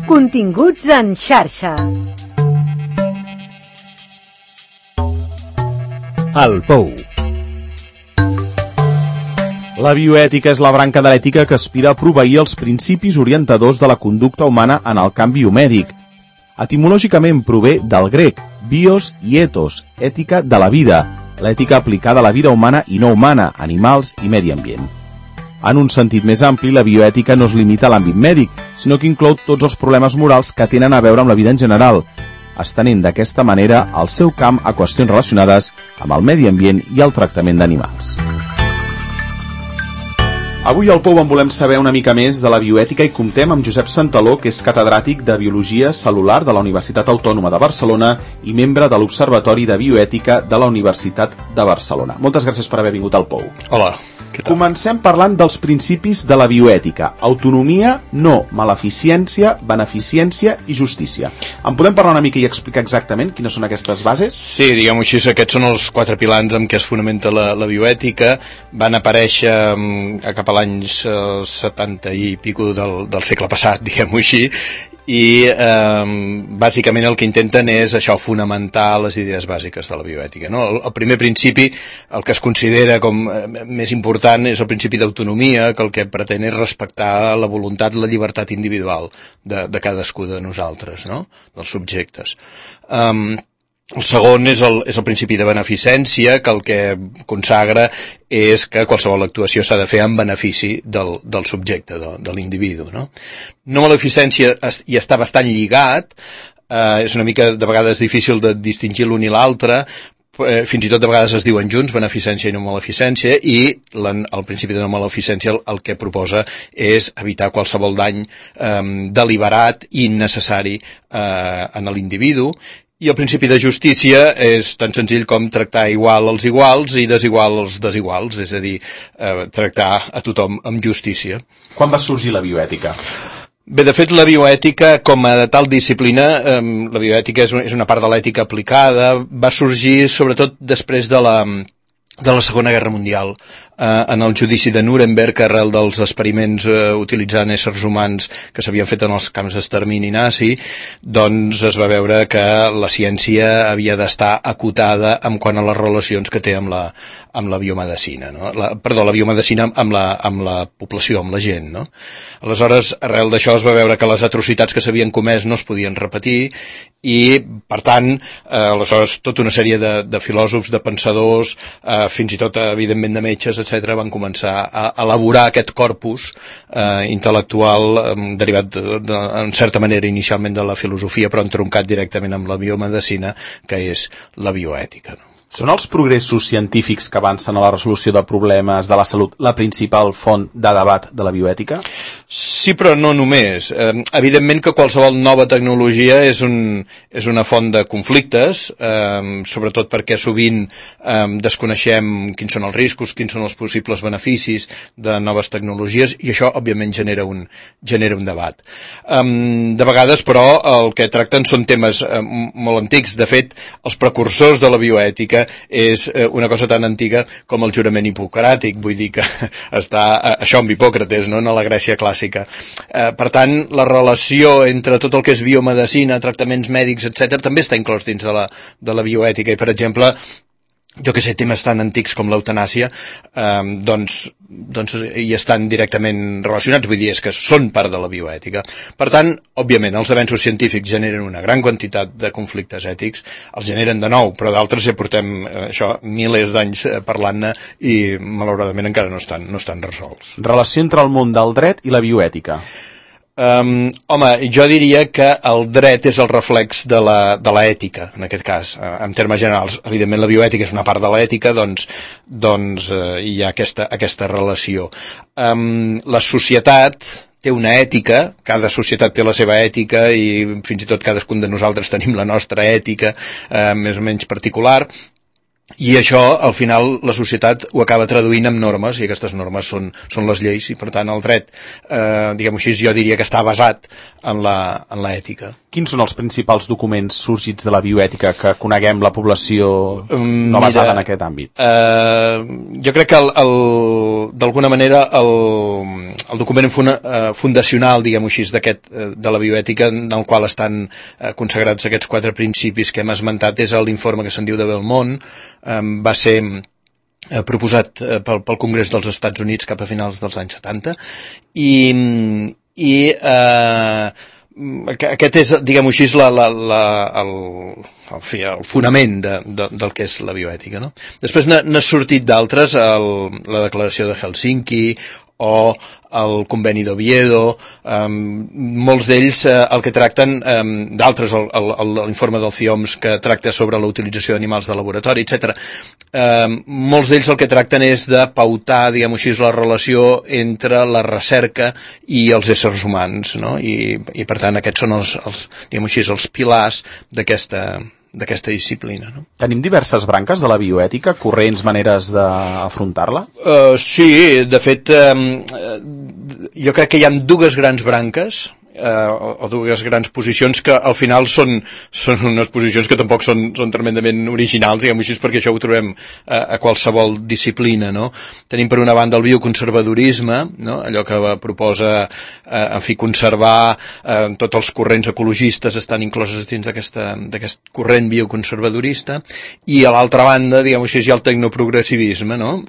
Continguts en xarxa. El Pou. La bioètica és la branca de l'ètica que aspira a proveir els principis orientadors de la conducta humana en el camp biomèdic. Etimològicament prové del grec, bios i ethos, ètica de la vida, l'ètica aplicada a la vida humana i no humana, animals i medi ambient. En un sentit més ampli, la bioètica no es limita a l'àmbit mèdic, sinó que inclou tots els problemes morals que tenen a veure amb la vida en general, estenent d'aquesta manera el seu camp a qüestions relacionades amb el medi ambient i el tractament d'animals. Avui al Pou en volem saber una mica més de la bioètica i comptem amb Josep Santaló, que és catedràtic de Biologia Cel·lular de la Universitat Autònoma de Barcelona i membre de l'Observatori de Bioètica de la Universitat de Barcelona. Moltes gràcies per haver vingut al Pou. Hola, què tal? Comencem parlant dels principis de la bioètica. Autonomia, no maleficència, beneficència i justícia. En podem parlar una mica i explicar exactament quines són aquestes bases? Sí, diguem-ho així, aquests són els 4 pilars amb què es fonamenta la bioètica. Van aparèixer cap a l'any 70 i pico del segle passat, diguem-ho així, i bàsicament el que intenten és això, fonamentar les idees bàsiques de la bioètica, no? El primer principi, el que es considera com més important, és el principi d'autonomia, que el que pretén és respectar la voluntat, la llibertat individual de cadascú de nosaltres, no? Dels subjectes. El segon és el principi de beneficència, que el que consagra és que qualsevol actuació s'ha de fer en benefici del subjecte, de l'individu, no? No maleficència hi està bastant lligat, és una mica de vegades difícil de distingir l'un i l'altre, fins i tot de vegades es diuen junts, beneficència i no maleficència, i el principi de no maleficència el que proposa és evitar qualsevol dany deliberat i innecessari en l'individu. I el principi de justícia és tan senzill com tractar igual als iguals i desigual als desiguals, és a dir, tractar a tothom amb justícia. Quan va sorgir la bioètica? Bé, de fet, la bioètica, com a tal disciplina, la bioètica és una part de l'ètica aplicada, va sorgir sobretot després de la Segona Guerra Mundial, en el judici de Nuremberg, arrel dels experiments utilitzant éssers humans que s'havien fet en els camps d'extermini nazi, doncs es va veure que la ciència havia d'estar acotada en quant a les relacions que té amb la biomedicina, no? La biomedicina amb la població, amb la gent, no? Aleshores, arrel d'això es va veure que les atrocitats que s'havien comès no es podien repetir i, per tant, aleshores tota una sèrie de filòsofs, de pensadors, fins i tot, evidentment, de metges, etc., van començar a elaborar aquest corpus intel·lectual derivat, en certa manera, inicialment de la filosofia, però entroncat directament amb la biomedicina, que és la bioètica, no? Són els progressos científics que avancen a la resolució de problemes de la salut la principal font de debat de la bioètica? Sí, però no només. Evidentment que qualsevol nova tecnologia és una font de conflictes, sobretot perquè sovint desconeixem quins són els riscos, quins són els possibles beneficis de noves tecnologies, i això, òbviament, genera un debat. De vegades, però, el que tracten són temes molt antics. De fet, els precursors de la bioètica és una cosa tan antiga com el jurament hipocràtic, vull dir que està això amb Hipòcrates, no?, en la Grècia clàssica. Per tant, la relació entre tot el que és biomedicina, tractaments mèdics, etc., també està inclòs dins de la bioètica, i, per exemple, jo que sé, temes tan antics com l'eutanàsia, doncs hi estan directament relacionats, vull dir, és que són part de la bioètica. Per tant, òbviament, els avenços científics generen una gran quantitat de conflictes ètics, els generen de nou, però d'altres ja portem milers d'anys parlant-ne i, malauradament, encara no estan resolts. Relació entre el món del dret i la bioètica. Home, jo diria que el dret és el reflex de l'ètica, en aquest cas, en termes generals. Evidentment, la bioètica és una part de l'ètica, doncs hi ha aquesta relació. La societat té una ètica, cada societat té la seva ètica i fins i tot cadascun de nosaltres tenim la nostra ètica més o menys particular. I això, al final, la societat ho acaba traduint en normes, i aquestes normes són les lleis, i per tant el dret, diguem-ho així, jo diria que està basat en l'ètica. Quins són els principals documents sorgits de la bioètica que coneguem la població no basada en aquest àmbit? Jo crec que d'alguna manera el document fundacional, diguem-ho així, de la bioètica, en el qual estan consagrats aquests 4 principis que hem esmentat, és l'informe que se'n diu de Belmont. Va ser proposat pel Congrés dels Estats Units cap a finals dels anys 70 i aquest és, diguem-ho així, el fonament del que és la bioètica, no? Després n'ha sortit d'altres, la declaració de Helsinki o el conveni d'Oviedo, molts d'ells el que tracten, d'altres l'informe del CIOMS que tracta sobre la utilització d'animals de laboratori, etc. Molts d'ells el que tracten és de pautar, diguem-ho així, la relació entre la recerca i els éssers humans, no? I per tant aquests són diguem-ho així, els pilars d'aquesta disciplina, no? Tenim diverses branques de la bioètica, corrents, maneres d'afrontar-la? Sí, de fet, jo crec que hi ha 2 grans branques, o 2 grans posicions que al final són unes posicions que tampoc són tremendament originals, diguem-ho així, perquè això ho trobem a qualsevol disciplina, no? Tenim per una banda el bioconservadorisme, no? Allò que proposa, conservar tots els corrents ecologistes estan incloses dins d'aquest corrent bioconservadorista, i a l'altra banda, diguem-ho així, hi ha el tecnoprogressivisme, no?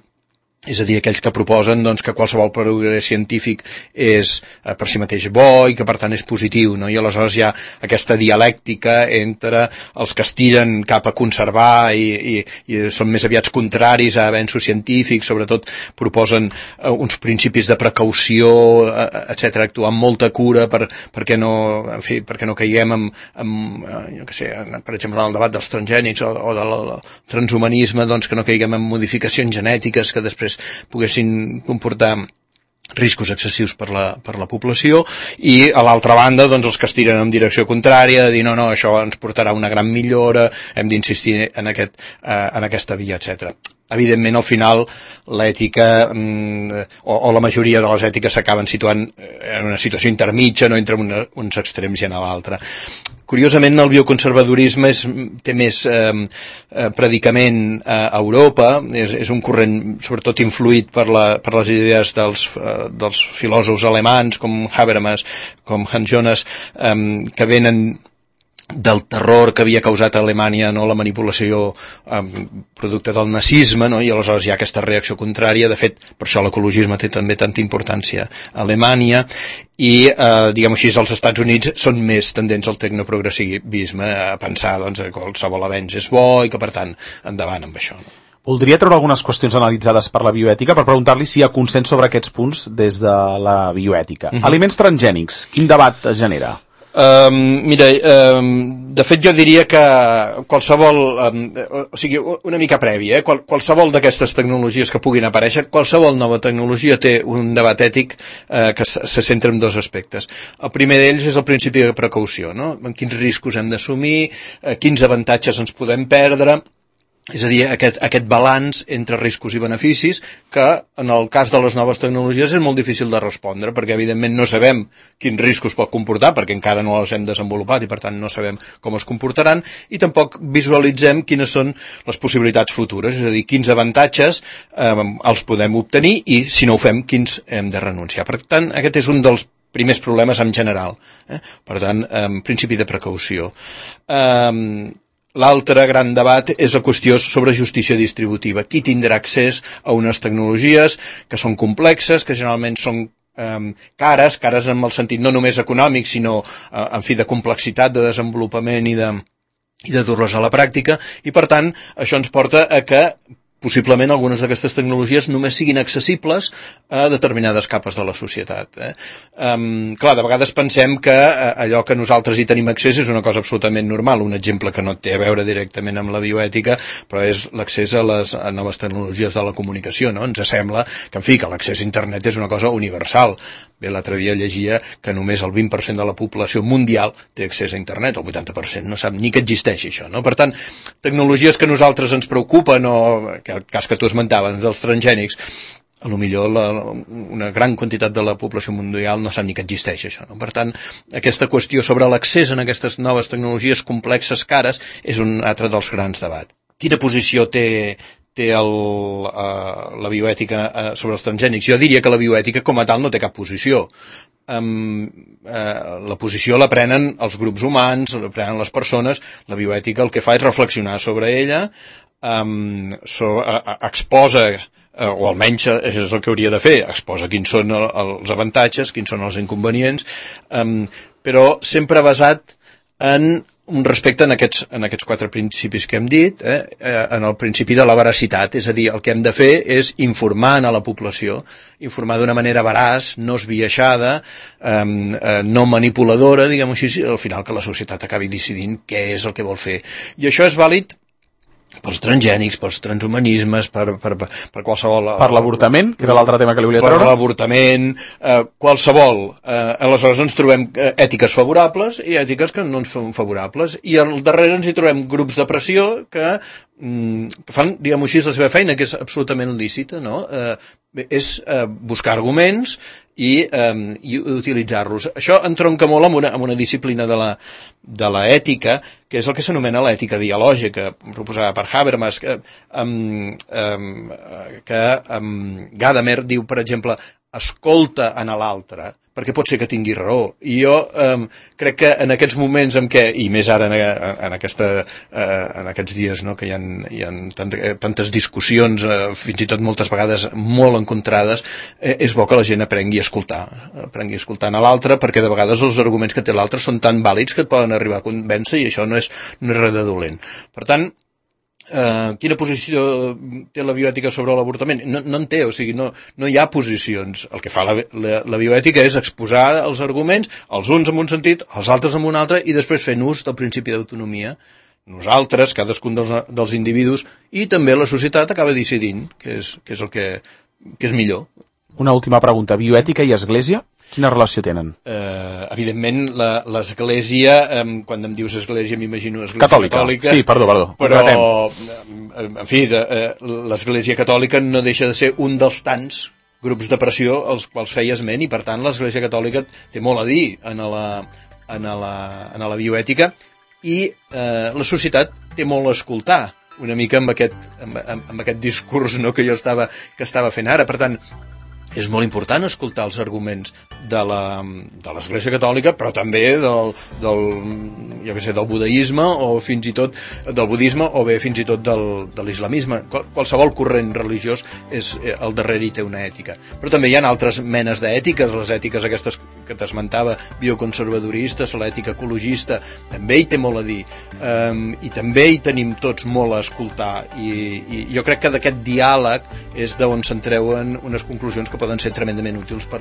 És a dir, aquells que proposen que qualsevol progrés científic és per si mateix bo i que per tant és positiu, no? I aleshores hi ha aquesta dialèctica entre els que es tiren cap a conservar i són més aviat contraris a avenços científics, sobretot proposen uns principis de precaució, etc., actuar amb molta cura perquè no caiguem jo què sé, per exemple, en el debat dels transgènics o del transhumanisme, que no caiguem en modificacions genètiques que després poguessin comportar riscos excessius per la població, i a l'altra banda els que es tiren en direcció contrària, de dir no, això ens portarà una gran millora, hem d'insistir en aquesta via, etc. Evidentment, al final, l'ètica o la majoria de les ètiques s'acaben situant en una situació intermitja, no entre uns extrems i en l'altre. Curiosament, el bioconservadorisme té més predicament a Europa, és un corrent sobretot influït per les idees dels filòsofs alemans com Habermas, com Hans Jonas, que venen del terror que havia causat a Alemanya, no, la manipulació producte del nazisme, no? I aleshores hi ha aquesta reacció contrària. De fet, per això l'ecologisme té també tanta importància a Alemanya, i diguem-ho així, els Estats Units són més tendents al tecnoprogressivisme, a pensar que qualsevol avenç és bo i que per tant endavant amb això, no? Voldria treure algunes qüestions analitzades per la bioètica per preguntar-li si hi ha consens sobre aquests punts des de la bioètica. Aliments transgènics, quin debat es genera? Mira, de fet jo diria que qualsevol, o sigui, una mica prèvia, qualsevol d'aquestes tecnologies que puguin aparèixer, qualsevol nova tecnologia té un debat ètic que se centra en 2 aspectes. El primer d'ells és el principi de precaució, no? En quins riscos hem d'assumir, quins avantatges ens podem perdre. És a dir, aquest balanç entre riscos i beneficis que en el cas de les noves tecnologies és molt difícil de respondre, perquè evidentment no sabem quins riscos pot comportar, perquè encara no els hem desenvolupat i per tant no sabem com es comportaran, i tampoc visualitzem quines són les possibilitats futures, és a dir, quins avantatges els podem obtenir i si no ho fem, quins hem de renunciar. Per tant, aquest és un dels primers problemes en general. Per tant, principi de precaució. L'altre gran debat és la qüestió sobre justícia distributiva. Qui tindrà accés a unes tecnologies que són complexes, que generalment són cares en el sentit no només econòmic, sinó en fi de complexitat, de desenvolupament i de dur-les a la pràctica, i per tant això ens porta a que possiblement algunes d'aquestes tecnologies només siguin accessibles a determinades capes de la societat. Clar, de vegades pensem que allò que nosaltres hi tenim accés és una cosa absolutament normal. Un exemple que no té a veure directament amb la bioètica, però és l'accés a les noves tecnologies de la comunicació, no? Ens sembla que, en fi, que l'accés a internet és una cosa universal. Bé, l'altre dia llegia que només el 20% de la població mundial té accés a internet, el 80% no sap ni que existeix això, no? Per tant, tecnologies que a nosaltres ens preocupen, o el cas que tu esmentaves dels transgènics, a lo millor una gran quantitat de la població mundial no sap ni que existeix això, no? Per tant, aquesta qüestió sobre l'accés a aquestes noves tecnologies complexes, cares, és un altre dels grans debats. Quina posició té la bioètica sobre els transgènics? Jo diria que la bioètica com a tal no té cap posició. La posició la prenen els grups humans, la prenen les persones. La bioètica el que fa és reflexionar sobre ella, exposa, o almenys és el que hauria de fer, exposa quins són els avantatges, quins són els inconvenients, però sempre basat en un respecte en aquests 4 principis que hem dit, en el principi de la veracitat, és a dir, el que hem de fer és informar a la població, informar d'una manera veraç, no esbiaixada, no manipuladora, diguem-ho així, al final que la societat acabi decidint què és el que vol fer. I això és vàlid pels transgènics, pels transhumanismes, per qualsevol... Per l'avortament, que era l'altre tema que li volia treure. Per l'avortament, qualsevol. Aleshores ens trobem ètiques favorables i ètiques que no ens són favorables. I al darrere ens hi trobem grups de pressió que fan, diguem-ho així, la seva feina, que és absolutament lícita, no? És buscar arguments i utilitzar-los. Això entronca molt amb una disciplina de l'ètica, que és el que s'anomena l'ètica dialògica, proposada per Habermas, que Gadamer diu, per exemple, escolta a l'altre, perquè pot ser que tingui raó. I jo crec que en aquests moments en què, i més ara en aquests dies, no, que hi ha tantes discussions, fins i tot moltes vegades molt encontrades, és bo que la gent aprengui a escoltar a l'altre, perquè de vegades els arguments que té l'altre són tan vàlids que et poden arribar a convèncer, i això no és res de dolent. Per tant, quina posició té la bioètica sobre l'avortament? No en té, o sigui, no hi ha posicions. El que fa la bioètica és exposar els arguments, els uns en un sentit, els altres en un altre, i després fent ús del principi d'autonomia. Nosaltres, cadascun dels individus, i també la societat acaba decidint què és el que és millor. Una última pregunta. Bioètica i església? Quina relació tenen? Evidentment, l'església, quan em dius església m'imagino església catòlica. Sí, perdó. Però, en fi, l'església catòlica no deixa de ser un dels tants grups de pressió als quals feia esment, i per tant l'església catòlica té molt a dir en la bioètica, i la societat té molt a escoltar, una mica amb aquest discurs, no, que jo estava fent ara. Per tant, és molt important escoltar els arguments de l'Església Catòlica, però també del budeisme, o fins i tot del budisme, o bé fins i tot de l'islamisme. Qualsevol corrent religiós al darrere hi té una ètica. Però també hi ha altres menes d'ètiques, les ètiques aquestes que t'esmentava, bioconservadoristes, l'ètica ecologista, també hi té molt a dir. I també hi tenim tots molt a escoltar. I jo crec que d'aquest diàleg és d'on se'n treuen unes conclusions que poden ser tremendament útils per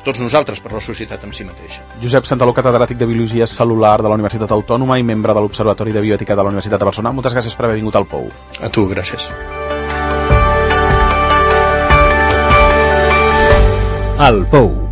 tots nosaltres, per la societat en si mateixa. Josep Santaló, catedràtic de Biologia Cel·lular de la Universitat Autònoma i membre de l'Observatori de Bioètica de la Universitat de Barcelona. Moltes gràcies per haver vingut al Pou. A tu, gràcies. El Pou.